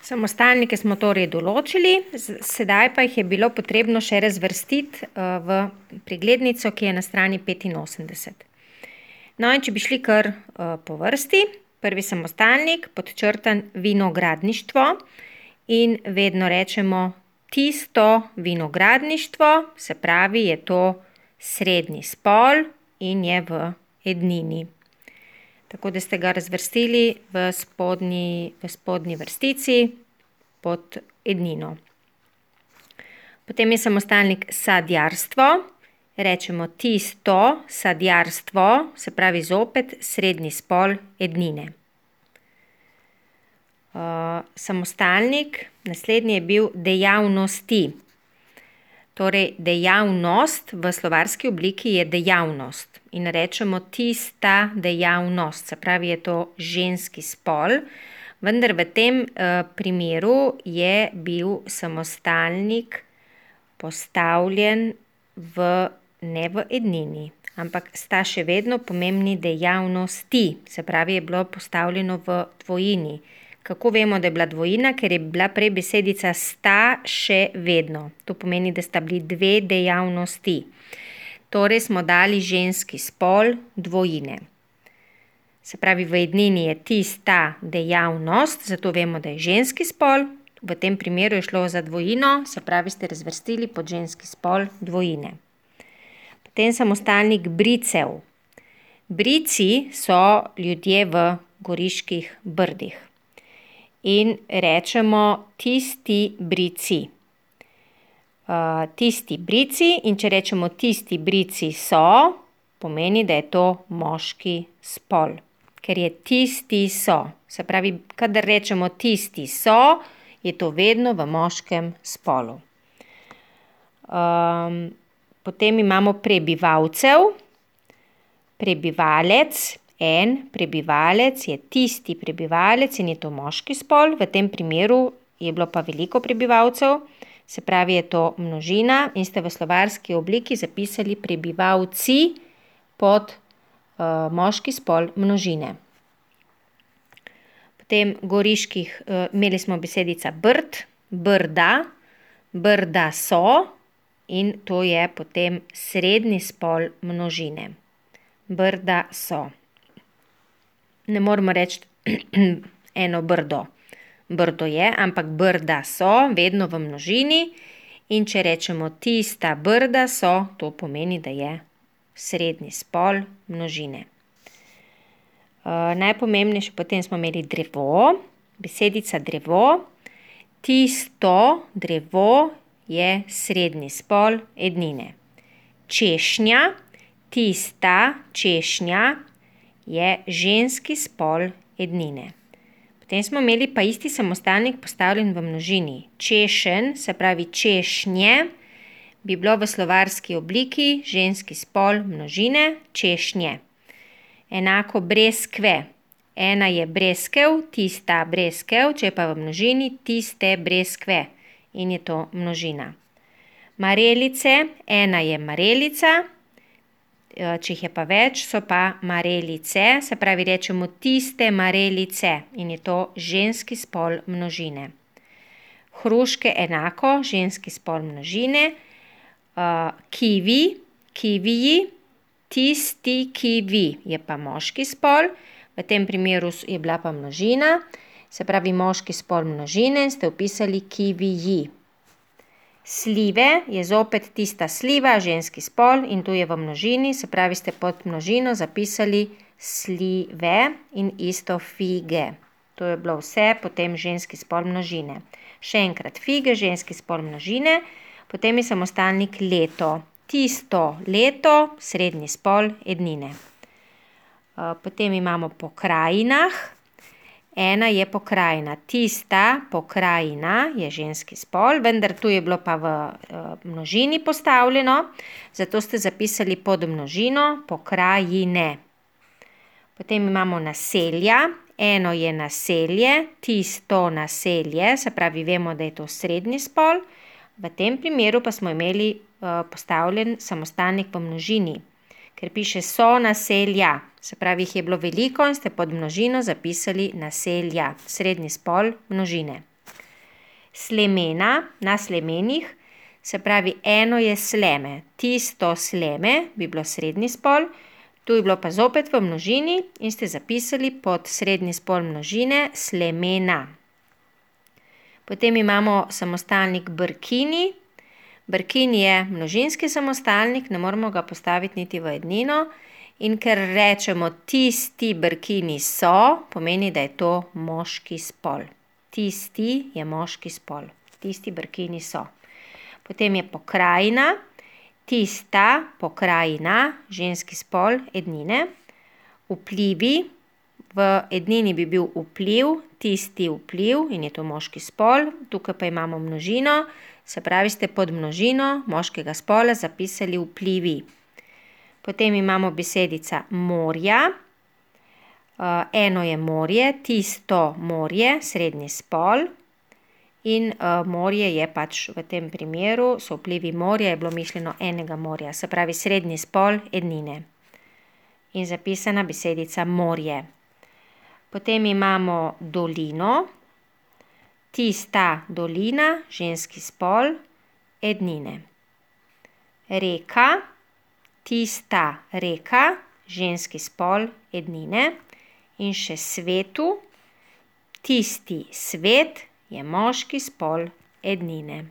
Samostalnike smo torej določili, sedaj pa jih je bilo potrebno še razvrstiti v preglednico, ki je na strani 85. No, in če bi šli kar po vrsti, prvi samostalnik, podčrtan vinogradništvo in vedno rečemo tisto vinogradništvo, se pravi, je to srednji spol in je v ednini. Tako da ste ga razvrstili v spodnji vrstici pod ednino. Potem je samostalnik sadjarstvo, rečemo tisto sadjarstvo, se pravi zopet srednji spol ednine. Samostalnik, naslednji je bil dejavnosti. Torej, dejavnost v slovarski obliki je dejavnost in rečemo tista dejavnost, se pravi, je to ženski spol, vendar v tem primeru je bil samostalnik postavljen ne v ednini, ampak sta še vedno pomembni dejavnosti, se pravi, je bilo postavljeno v dvojini. Kako vemo, da je bila dvojina? Ker je bila prej besedica sta še vedno. To pomeni, da sta bili dve dejavnosti. Torej smo dali ženski spol dvojine. Se pravi, v ednini je tista dejavnost, zato vemo, da je ženski spol. V tem primeru je šlo za dvojino, se pravi, ste razvrstili pod ženski spol dvojine. Potem samostalnik bricev. Brici so ljudje v Goriških brdih. In rečemo tisti brici. Tisti brici, in če rečemo tisti brici so, pomeni, da je to moški spol. Ker je tisti so. Se pravi, kadar rečemo tisti so, je to vedno v moškem spolu. Potem imamo prebivalcev. Prebivalec. En prebivalec je tisti prebivalec in je to moški spol, v tem primeru je bilo pa veliko prebivalcev, se pravi, je to množina in ste v slovarski obliki zapisali prebivalci pod moški spol množine. Potem imeli smo besedica brd, brda, brda so in to je potem srednji spol množine. Brda so. Ne moramo reči eno brdo. Brdo je, ampak brda so, vedno v množini. In če rečemo tista brda so, to pomeni, da je srednji spol množine. Najpomembnejše potem smo imeli drevo, besedica drevo. Tisto drevo je srednji spol ednine. Češnja, tista češnja je ženski spol ednine. Potem smo imeli pa isti samostalnik postavljen v množini. Češen, se pravi češnje, bi bilo v slovarski obliki ženski spol množine, češnje. Enako breskve. Ena je breskev, tista breskev, če je pa v množini, tiste breskve. In je to množina. Marelice, ena je marelica, če jih je pa več, so pa marelice, se pravi, rečemo tiste marelice in je to ženski spol množine. Hruške enako, ženski spol množine. Kivi, kiviji, tisti kivi je pa moški spol, v tem primeru je bila pa množina, se pravi moški spol množine in ste vpisali kiviji. Slive je zopet tista sliva, ženski spol in tu je v množini, se pravi, ste pod množino zapisali slive in isto fige. To je bilo vse, potem ženski spol množine. Še enkrat fige, ženski spol množine, potem je samostalnik leto. Tisto leto, srednji spol ednine. Potem imamo po krajinah. Ena je pokrajina. Tista pokrajina je ženski spol, vendar tu je bilo pa v množini postavljeno, zato ste zapisali pod množino pokrajine. Potem imamo naselja. Eno je naselje, tisto naselje, se pravi, vemo, da je to srednji spol. V tem primeru pa smo imeli postavljen samostalnik v množini, ker piše so naselja. Se pravi, jih je bilo veliko in ste pod množino zapisali naselja, srednji spol množine. Slemena na slemenih, se pravi, eno je sleme. Tisto sleme bi bilo srednji spol, tu je bilo pa zopet v množini in ste zapisali pod srednji spol množine slemena. Potem imamo samostalnik brkini. Brkini je množinski samostalnik, ne moramo ga postaviti niti v ednino. In ker rečemo tisti brkini so, pomeni, da je to moški spol. Tisti je moški spol. Tisti brkini so. Potem je pokrajina. Tista pokrajina, ženski spol, ednine. Vplivi. V ednini bi bil vpliv, tisti vpliv in je to moški spol. Tukaj pa imamo množino, se pravi, ste pod množino moškega spola zapisali vplivi. Potem imamo besedica morja. Eno je morje, tisto morje, srednji spol. In morje je pač v tem primeru, so vplivi morja, je bilo mišljeno enega morja, se pravi srednji spol ednine. In zapisana besedica morje. Potem imamo dolino. Tista dolina, ženski spol, ednine. Reka. Tista reka, ženski spol, ednine. In še svetu. Tisti svet je moški spol, ednine.